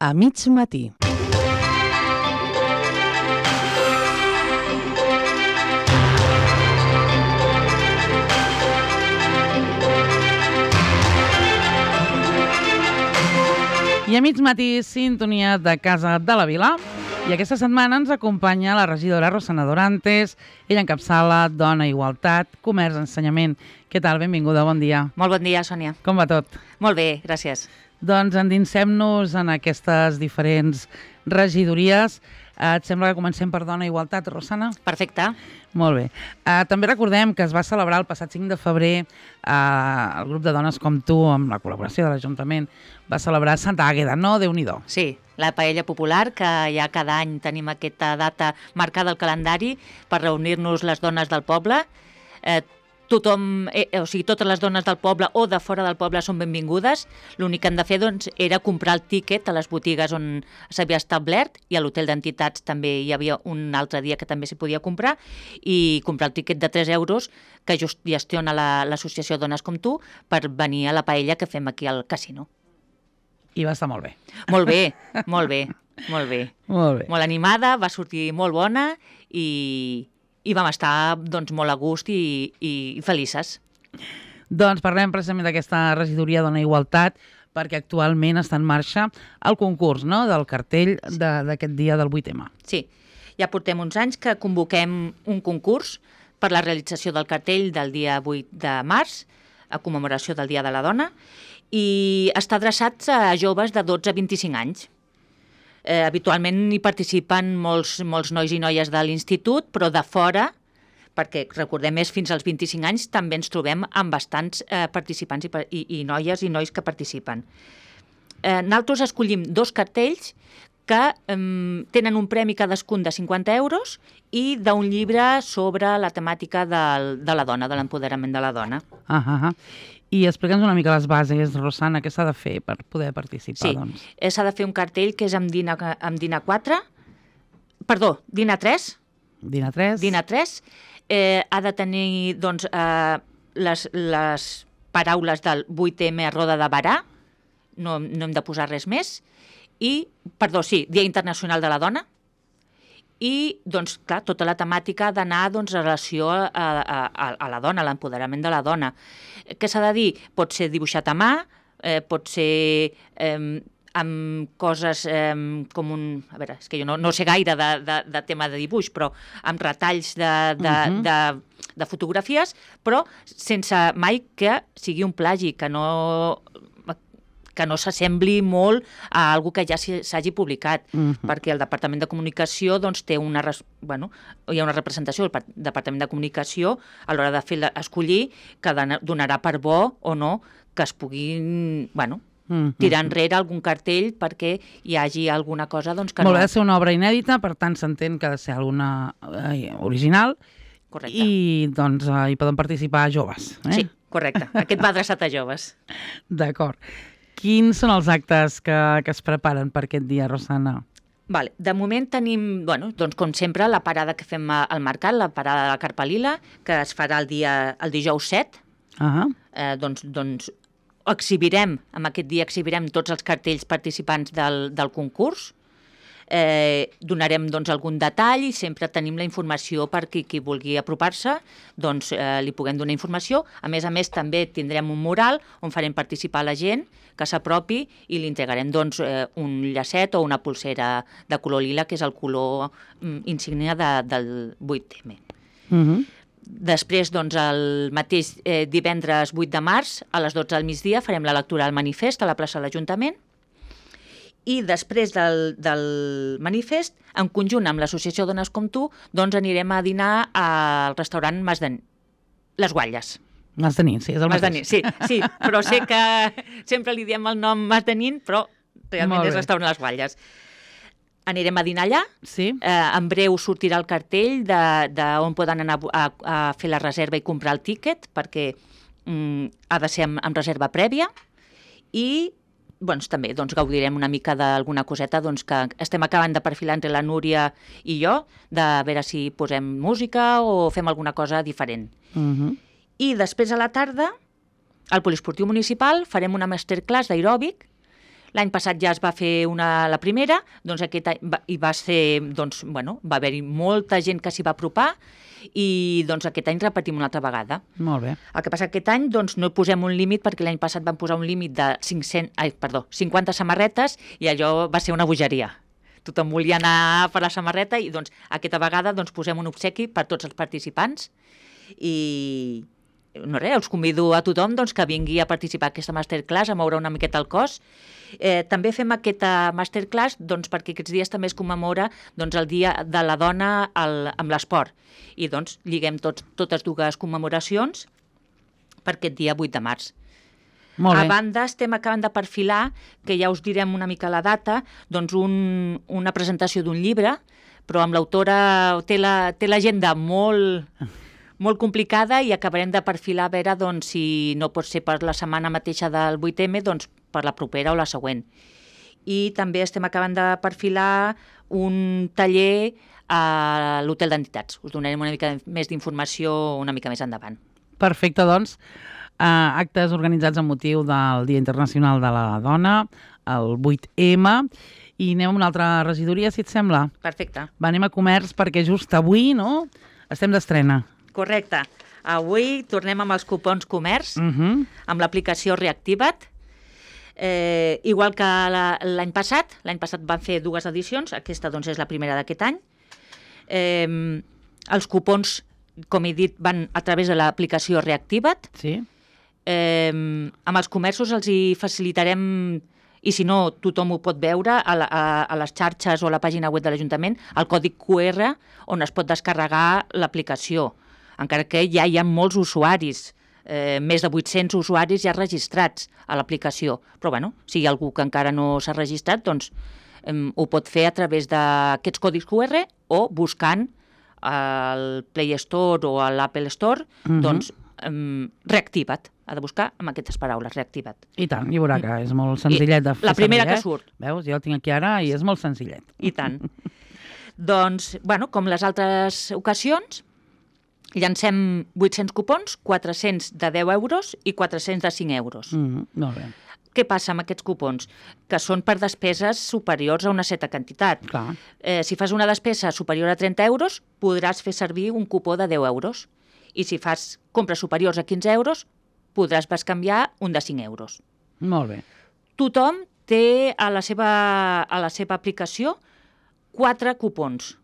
A mig matí. I a mig matí, sintonia de Casa de la Vila. I aquesta setmana ens acompanya la regidora Rosana Dorantes. Ella encapçala Dona, Igualtat, Comerç, Ensenyament. Què tal? Benvinguda, bon dia. Molt bon dia, Sònia. Com va tot? Molt bé, gràcies. Doncs endinsem-nos en aquestes diferents regidories. Et sembla que comencem per Dona, Igualtat, Rosana? Perfecte. Molt bé. També recordem que es va celebrar el passat 5 de febrer el grup de dones com tu, amb la col·laboració de l'Ajuntament, va celebrar Santa Àgueda, no? Déu-n'hi-do. Sí, la paella popular, que ja cada any tenim aquesta data marcada al calendari per reunir-nos les dones del poble. Tothom, o sigui, totes les dones del poble o de fora del poble són benvingudes. L'únic que han de fer era comprar el tíquet a les botigues on s'havia establert, i a l'hotel d'entitats també hi havia un altre dia que també s'hi podia comprar, i comprar el tíquet de 3 euros que gestiona l'associació Dones com tu per venir a la paella que fem aquí al casino. I va estar molt bé. Molt bé, molt bé, molt bé. Molt bé. Molt animada, va sortir molt bona i vam estar doncs, molt a gust i felices. Doncs parlem precisament d'aquesta regidoria Dona Igualtat, perquè actualment està en marxa el concurs, no?, del cartell d'aquest dia del 8M. Sí, ja portem uns anys que convoquem un concurs per la realització del cartell del dia 8 de març, a commemoració del Dia de la Dona, i està adreçat a joves de 12 a 25 anys. Habitualment hi participen molts nois i noies de l'institut, però de fora, perquè recordem és fins als 25 anys, també ens trobem amb bastants participants i noies i nois que participen. Nosaltres escollim 2 cartells que tenen un premi cadascun de 50 euros i d'un llibre sobre la temàtica de la dona, de l'empoderament de la dona. I explica'ns una mica les bases, Rosana, què s'ha de fer per poder participar? Sí, doncs? S'ha de fer un cartell que és amb DIN A3. DIN A3. DIN A3. Ha de tenir doncs, les paraules del 8M a Roda de Barà, no hem de posar res més, Dia Internacional de la Dona, i, doncs, clar, tota la temàtica ha d'anar en relació a la dona, a l'empoderament de la dona. Què s'ha de dir? Pot ser dibuixat a mà, pot ser amb coses com un... A veure, és que jo no sé gaire de tema de dibuix, però amb retalls de fotografies, però sense mai que sigui un plagi, que no s'assembli molt a algú que ja s'hagi publicat, perquè el Departament de Comunicació doncs, té hi ha una representació del Departament de Comunicació a l'hora de escollir que donarà per bo o no que es puguin tirar enrere algun cartell perquè hi hagi alguna cosa doncs, que Molt bé, ha de ser una obra inèdita, per tant s'entén que ha de ser alguna original. Correcte. I doncs hi poden participar joves. Sí, correcte. Aquest va adreçat a joves. D'acord. Quins són els actes que es preparen per aquest dia, Rosana? Vale. De moment tenim, doncs, com sempre, la parada que fem al mercat, la parada de la Carpa Lila, que es farà el dijous 7. Doncs amb aquest dia exhibirem tots els cartells participants del concurs. Donarem doncs, algun detall i sempre tenim la informació per qui vulgui apropar-se, doncs li puguem donar informació. A més, també tindrem un mural on farem participar la gent que s'apropi i li entregarem doncs, un llacet o una pulsera de color lila, que és el color insígnia del 8M. Després, doncs, el mateix divendres 8 de març, a les 12 del migdia, farem la lectura del manifest a la plaça de l'Ajuntament. I després del manifest, en conjunt amb l'associació Dones com tu, doncs anirem a dinar al restaurant Les Guatlles. Mas de Nin, sí, és el mateix. Sí, però sé que sempre li diem el nom Mas de Nin, però realment és restaurant Les Guatlles. Anirem a dinar allà. Sí. En breu sortirà el cartell d'on poden anar a fer la reserva i comprar el tíquet, perquè ha de ser amb reserva prèvia. I també gaudirem una mica d'alguna coseta que estem acabant de perfilar entre la Núria i jo, de veure si posem música o fem alguna cosa diferent. I després a la tarda, al Poliesportiu Municipal, farem una masterclass d'aeròbic, L'any passat ja es va fer la primera, doncs aquest any va ser, doncs, bueno, va haver-hi molta gent que s'hi va apropar i doncs aquest any repetim una altra vegada. Molt bé. El que passa que aquest any doncs, no hi posem un límit perquè l'any passat vam posar un límit de 50 samarretes i allò va ser una bogeria. Tothom volia anar per la samarreta i doncs, aquesta vegada doncs, posem un obsequi per tots els participants i no res, els convido a tothom doncs, que vingui a participar en aquesta masterclass, a moure una miqueta el cos. També fem aquesta masterclass doncs, perquè aquests dies també es commemora doncs, el Dia de la Dona amb l'esport. I doncs lliguem totes dues commemoracions per aquest dia 8 de març. Molt bé. A banda, estem acabant de perfilar, que ja us direm una mica la data, doncs una presentació d'un llibre, però amb l'autora té l'agenda molt complicada i acabarem de perfilar a veure doncs, si no pot ser per la setmana mateixa del 8M, doncs per la propera o la següent. I també estem acabant de perfilar un taller a l'Hotel d'Entitats. Us donarem una mica més d'informació una mica més endavant. Perfecte, doncs. Actes organitzats amb motiu del Dia Internacional de la Dona, el 8M, i anem a una altra regidoria, si et sembla. Perfecte. Anem a comerç perquè just avui, no?, estem d'estrena. Correcte. Avui tornem amb els cupons comerç, amb l'aplicació Reactiva't. Igual que l'any passat van fer 2 edicions, aquesta doncs, és la primera d'aquest any. Els cupons, com he dit, van a través de l'aplicació Reactiva't. Sí. Amb els comerços els hi facilitarem, i si no, tothom ho pot veure a les xarxes o a la pàgina web de l'Ajuntament, el còdig QR on es pot descarregar l'aplicació. Encara que ja hi ha molts usuaris, més de 800 usuaris ja registrats a l'aplicació. Però bueno, si hi ha algú que encara no s'ha registrat, doncs ho pot fer a través d'aquests còdics QR o buscant al Play Store o a l'Apple Store, doncs Reactiva't. Ha de buscar amb aquestes paraules, Reactiva't. I tant, i veurà que és molt senzillet de fer. La primera que surt. Veus, jo el tinc aquí ara i és molt senzillet. I tant. Doncs, bueno, com les altres ocasions, llancem 800 cupons, 400 de 10 euros i 400 de 5 euros. Molt bé. Què passa amb aquests cupons? Que són per despeses superiors a una certa quantitat. Clar. Si fas una despesa superior a 30 euros, podràs fer servir un cupó de 10 euros. I si fas compres superiors a 15 euros, podràs bescanviar un de 5 euros. Molt bé. Tothom té a la seva aplicació 4 cupons.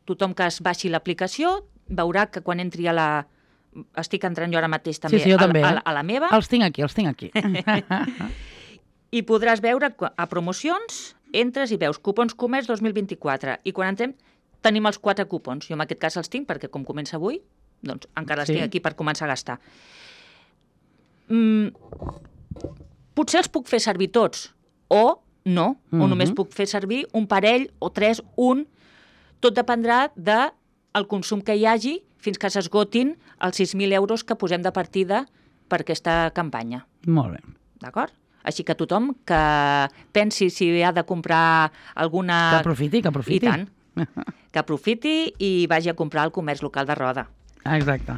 Tothom que es baixi l'aplicació veurà que quan entri a la... Estic entrant jo ara mateix també, sí, jo també a la meva. Els tinc aquí. I podràs veure a promocions, entres i veus cupons comerç 2024. I quan entrem tenim els 4 cupons. Jo en aquest cas els tinc perquè com comença avui, doncs encara els tinc aquí per començar a gastar. Potser els puc fer servir tots o no, o només puc fer servir un parell o 3, un. Tot dependrà del consum que hi hagi fins que s'esgotin els 6.000 euros que posem de partida per aquesta campanya. Molt bé. D'acord? Així que tothom que pensi si ha de comprar alguna... Que aprofiti. I tant. Que aprofiti i vagi a comprar al comerç local de Roda. Exacte.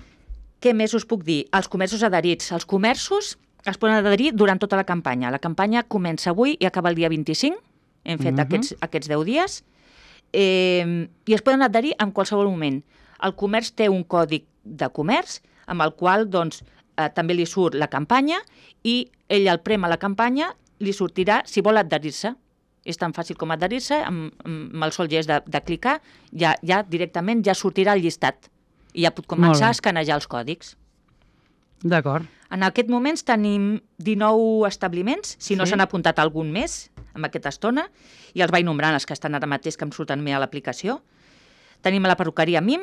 Què més us puc dir? Els comerços adherits. Els comerços es poden adherir durant tota la campanya. La campanya comença avui i acaba el dia 25. Hem fet aquests 10 dies. I es poden adherir en qualsevol moment. El comerç té un còdig de comerç amb el qual doncs, també li surt la campanya i ell el prem a la campanya, li sortirà si vol adherir-se. És tan fàcil com adherir-se, amb el sol gest de clicar, ja directament ja sortirà el llistat i ja pot començar a escanejar els còdics. D'acord. En aquest moment tenim 19 establiments, si no s'han apuntat algun més en aquesta estona, i els vaig nombrant els que estan ara mateix que em surten més a l'aplicació. Tenim a la perruqueria MIM,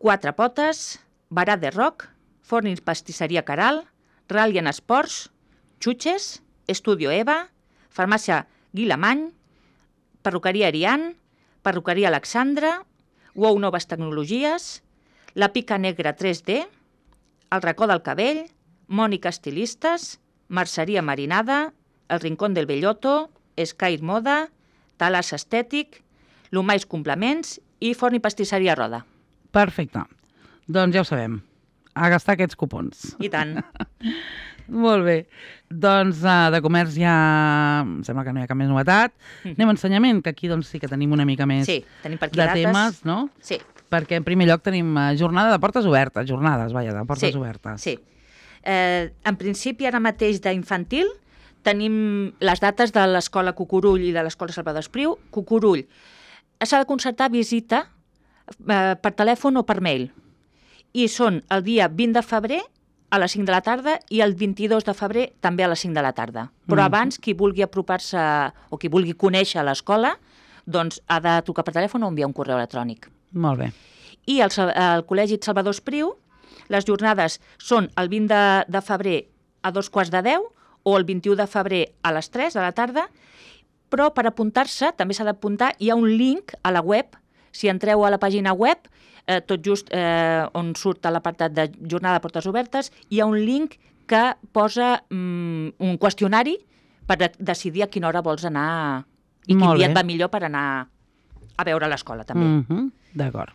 4 Potes, Barà de Roc, Forn i Pastisseria Caral, Rallian Esports, Xutxes, Estudio Eva, Farmàcia Guilamany, Perruqueria Arián, Perruqueria Alexandra, WOW Noves Tecnologies, La Pica Negra 3D, El Racó del Cabell, Mònica Estilistes, Merceria Marinada, El Rincón del Bellotto, Sky Moda, Talas Estètic, Lumais Complements i Forn i Pastisseria Roda. Perfecte. Doncs ja ho sabem. A gastar aquests cupons. I tant. Molt bé. Doncs de comerç ja em sembla que no hi ha cap més novetat. Anem a ensenyament, que aquí doncs, sí que tenim una mica més Sí, tenim per aquí de dates. temes, no? Sí. Perquè en primer lloc tenim jornada de portes obertes, jornades, vaja, de portes Sí, obertes. sí. En principi, ara mateix d'infantil, tenim les dates de l'Escola Cucurull i de l'Escola Salvador Espriu. Cucurull s'ha de concertar visita per telèfon o per mail. I són el dia 20 de febrer a les 5 de la tarda i el 22 de febrer també a les 5 de la tarda. Però abans, qui vulgui apropar-se o qui vulgui conèixer l'escola, doncs ha de trucar per telèfon o enviar un correu electrònic. Molt bé. I el Col·legi Salvador Espriu, les jornades són el 20 de febrer a 2:15 o el 21 de febrer a les 3 de la tarda, però per apuntar-se també s'ha d'apuntar, hi ha un link a la web, si entreu a la pàgina web, tot just on surt a l'apartat de jornada de portes obertes, hi ha un link que posa un qüestionari per decidir a quina hora vols anar i quin dia et va millor per anar a veure l'escola també. D'acord.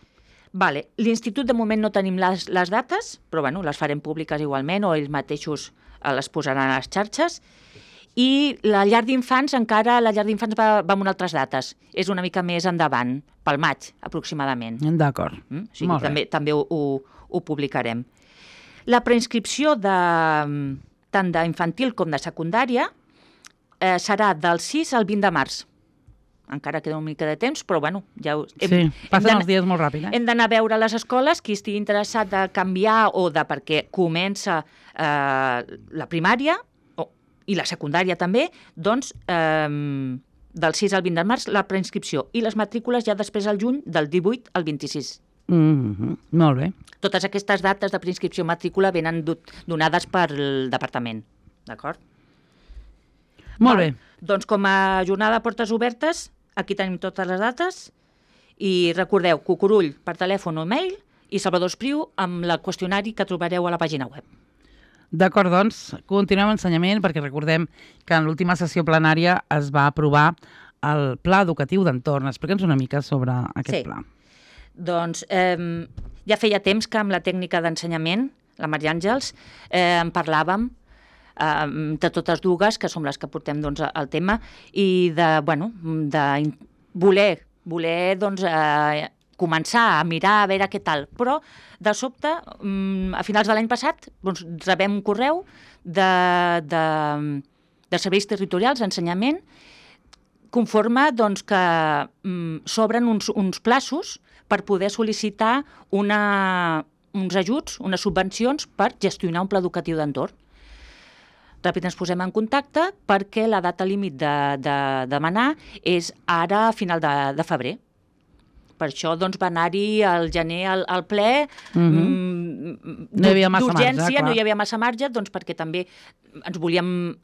Vale. L'Institut de moment no tenim les dates, però bueno, les farem públiques igualment o ells mateixos les posaran a les xarxes. I la llar d'infants encara, la llar d'infants va amb altres dates. És una mica més endavant, pel maig aproximadament. D'acord. O sigui, també ho publicarem. La preinscripció tant d'infantil com de secundària serà del 6 al 20 de març. Encara queda una mica de temps, però bueno, ja sí, passen els dies molt ràpid. Hem d'anar a veure les escoles, qui estigui interessat de canviar o perquè comença la primària i la secundària també, doncs del 6 al 20 de març la preinscripció i les matrícules ja després al juny del 18 al 26. Molt bé. Totes aquestes dates de preinscripció i matrícula venen donades pel departament, d'acord? Molt bé. Doncs com a jornada de portes obertes, aquí tenim totes les dates i recordeu, Cucurull per telèfon o mail i Salvador Espriu amb el qüestionari que trobareu a la pàgina web. D'acord, doncs, continuem ensenyament perquè recordem que en l'última sessió plenària es va aprovar el Pla Educatiu d'Entorn. Explica'ns una mica sobre aquest pla. Doncs ja feia temps que amb la tècnica d'ensenyament, la Maria Àngels, en parlàvem de totes dues, que som les que portem el tema, i de voler començar a mirar a veure què tal. Però, de sobte, a finals de l'any passat, rebem un correu de serveis territorials d'ensenyament conforme que s'obren uns plaços per poder sol·licitar uns ajuts, unes subvencions per gestionar un pla educatiu d'entorn. Ràpid ens posem en contacte perquè la data límit de demanar és ara a final de febrer. Per això va anar-hi al gener al ple d'urgència, no hi havia massa marge, perquè també ens volíem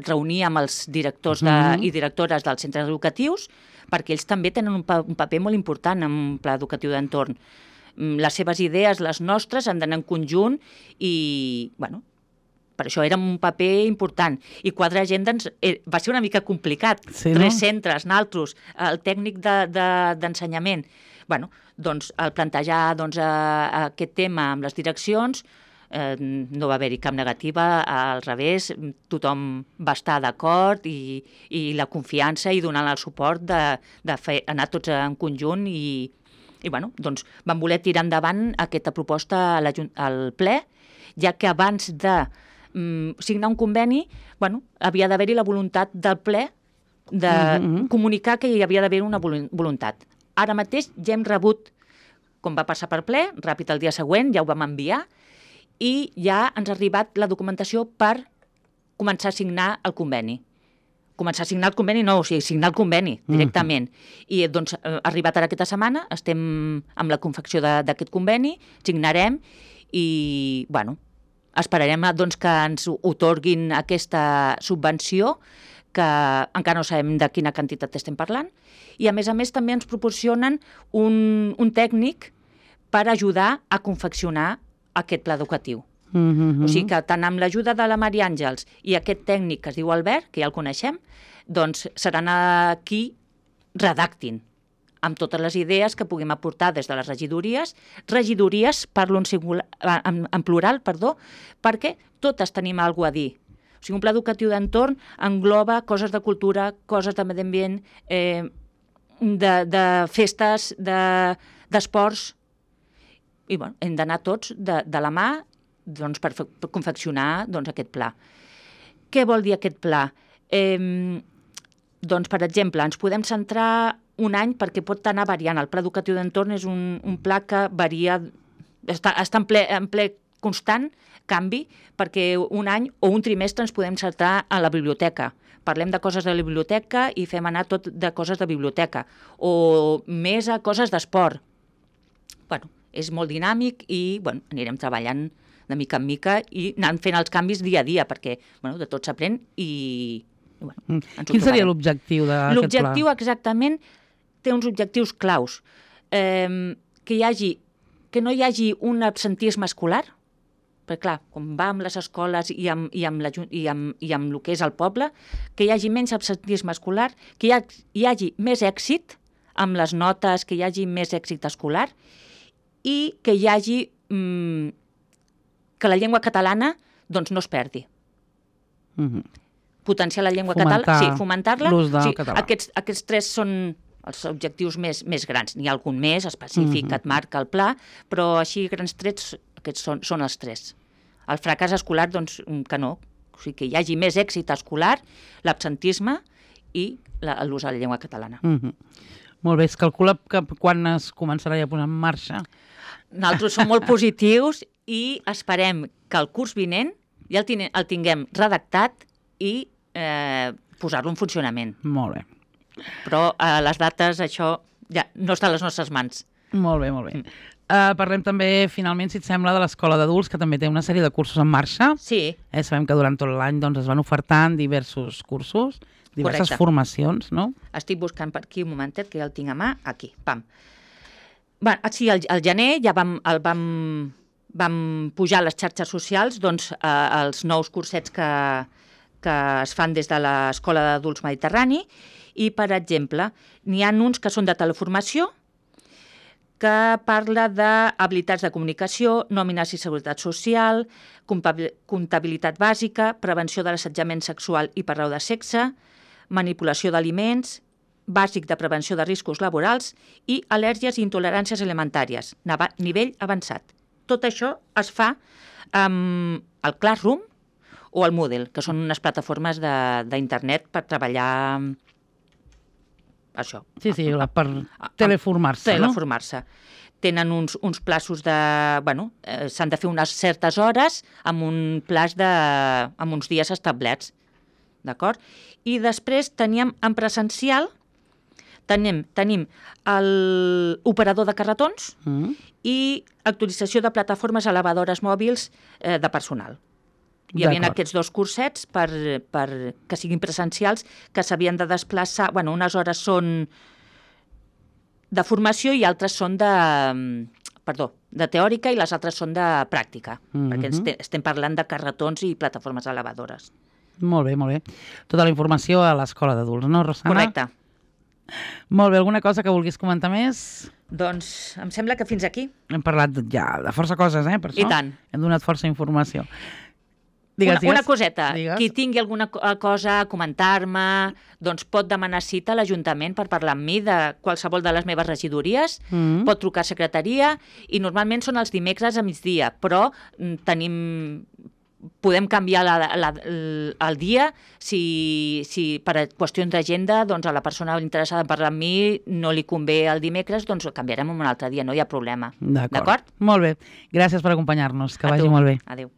reunir amb els directors i directores dels centres educatius perquè ells també tenen un paper molt important en un pla educatiu d'entorn. Les seves idees, les nostres, han d'anar en conjunt i, bueno, per això era un paper important. I quadrar agenda va ser una mica complicat. Sí, 3 centres, naltros, el tècnic d'ensenyament. Bueno, doncs, al plantejar aquest tema amb les direccions, no va haver-hi cap negativa, al revés, tothom va estar d'acord i la confiança i donant el suport d'anar tots en conjunt i bueno, doncs vam voler tirar endavant aquesta proposta al ple, ja que abans de signar un conveni, bueno, havia d'haver-hi la voluntat del ple de comunicar que hi havia d'haver una voluntat. Ara mateix ja hem rebut, com va passar per ple, ràpid el dia següent, ja ho vam enviar, i ja ens ha arribat la documentació per començar a signar el conveni. Començar a signar el conveni, no, o sigui, signar el conveni directament. I doncs ha arribat ara aquesta setmana, estem amb la confecció d'aquest conveni, signarem i, bueno, esperarem que ens otorguin aquesta subvenció, que encara no sabem de quina quantitat estem parlant, i a més també ens proporcionen un tècnic per ajudar a confeccionar aquest pla educatiu. O sigui que tant amb l'ajuda de la Maria Àngels i aquest tècnic que es diu Albert, que ja el coneixem, doncs seran qui redactin amb totes les idees que puguem aportar des de les regidories, parlo en plural, perquè totes tenim alguna a dir. O sigui, un pla educatiu d'entorn engloba coses de cultura, coses de medi ambient, de festes, d'esports, i bueno, hem d'anar tots de la mà doncs, per confeccionar aquest pla. Què vol dir aquest pla? Doncs, per exemple, ens podem centrar un any perquè pot anar variant. El pla educatiu d'entorn és un pla que varia, està en ple constant canvi, perquè un any o un trimestre ens podem centrar a la biblioteca. Parlem de coses de la biblioteca i fem anar tot de coses de biblioteca, o més a coses d'esport. Bueno, és molt dinàmic i anirem treballant de mica en mica i anant fent els canvis dia a dia, perquè de tot s'aprèn i Quin seria l'objectiu d'aquest pla? L'objectiu exactament té uns objectius claus. Que no hi hagi un absentisme escolar, perquè clar, quan va amb les escoles i amb el que és el poble, que hi hagi menys absentisme escolar, que hi hagi més èxit amb les notes, que hi hagi més èxit escolar i que hi hagi que la llengua catalana doncs no es perdi. Potenciar la llengua catalana, sí, fomentar-la. L'ús del català. Aquests tres són els objectius més grans. N'hi ha algun més específic que et marca el pla, però així, grans trets, aquests són els tres. El fracàs escolar, doncs, que no. O sigui, que hi hagi més èxit escolar, l'absentisme i l'ús de la llengua catalana. Molt bé, es calcula que quan es començarà ja a posar en marxa? Nosaltres som molt positius i esperem que el curs vinent ja el tinguem redactat i posar-lo en funcionament. Molt bé. Però les dates, això ja no està a les nostres mans. Molt bé, molt bé. Parlem també, finalment, si et sembla, de l'Escola d'Adults, que també té una sèrie de cursos en marxa. Sí. Sabem que durant tot l'any es van ofertant diversos cursos, diverses formacions, no? Estic buscant per aquí un momentet, que ja el tinc a mà. Aquí, pam. Sí, al gener ja vam pujar a les xarxes socials els nous cursets que es fan des de l'Escola d'Adults Mediterrani i, per exemple, n'hi ha uns que són de teleformació, que parla d'habilitats de comunicació, nòmines i seguretat social, comptabilitat bàsica, prevenció de l'assetjament sexual i per raó de sexe, manipulació d'aliments, bàsic de prevenció de riscos laborals i al·lèrgies i intoleràncies alimentàries, nivell avançat. Tot això es fa amb el Classroom o el Moodle, que són unes plataformes d'internet per treballar això. Sí, per teleformar-se, no? Teleformar-se. Tenen uns plaços de... s'han de fer unes certes hores amb un plaç amb uns dies establerts, d'acord? I després teníem en presencial, tenim l'operador de carretons i actualització de plataformes elevadores mòbils de personal. Hi havia aquests dos cursets per que siguin presencials, que s'havien de desplaçar... unes hores són de formació i altres són de teòrica i les altres són de pràctica, perquè estem parlant de carretons i plataformes elevadores. Molt bé, molt bé. Tota la informació a l'Escola d'Adults, no, Rosana? Correcte. Molt bé, alguna cosa que vulguis comentar més? Doncs em sembla que fins aquí. Hem parlat ja de força coses, per això. I tant. Hem donat força informació. Una coseta, qui tingui alguna cosa a comentar-me, doncs pot demanar cita a l'Ajuntament per parlar amb mi de qualsevol de les meves regidories, pot trucar a secretaria i normalment són els dimecres a migdia, però podem canviar el dia si per qüestions d'agenda a la persona interessada en parlar amb mi no li convé el dimecres, doncs canviarem un altre dia, no hi ha problema. D'acord? Molt bé. Gràcies per acompanyar-nos. Que vagi molt bé. Adéu.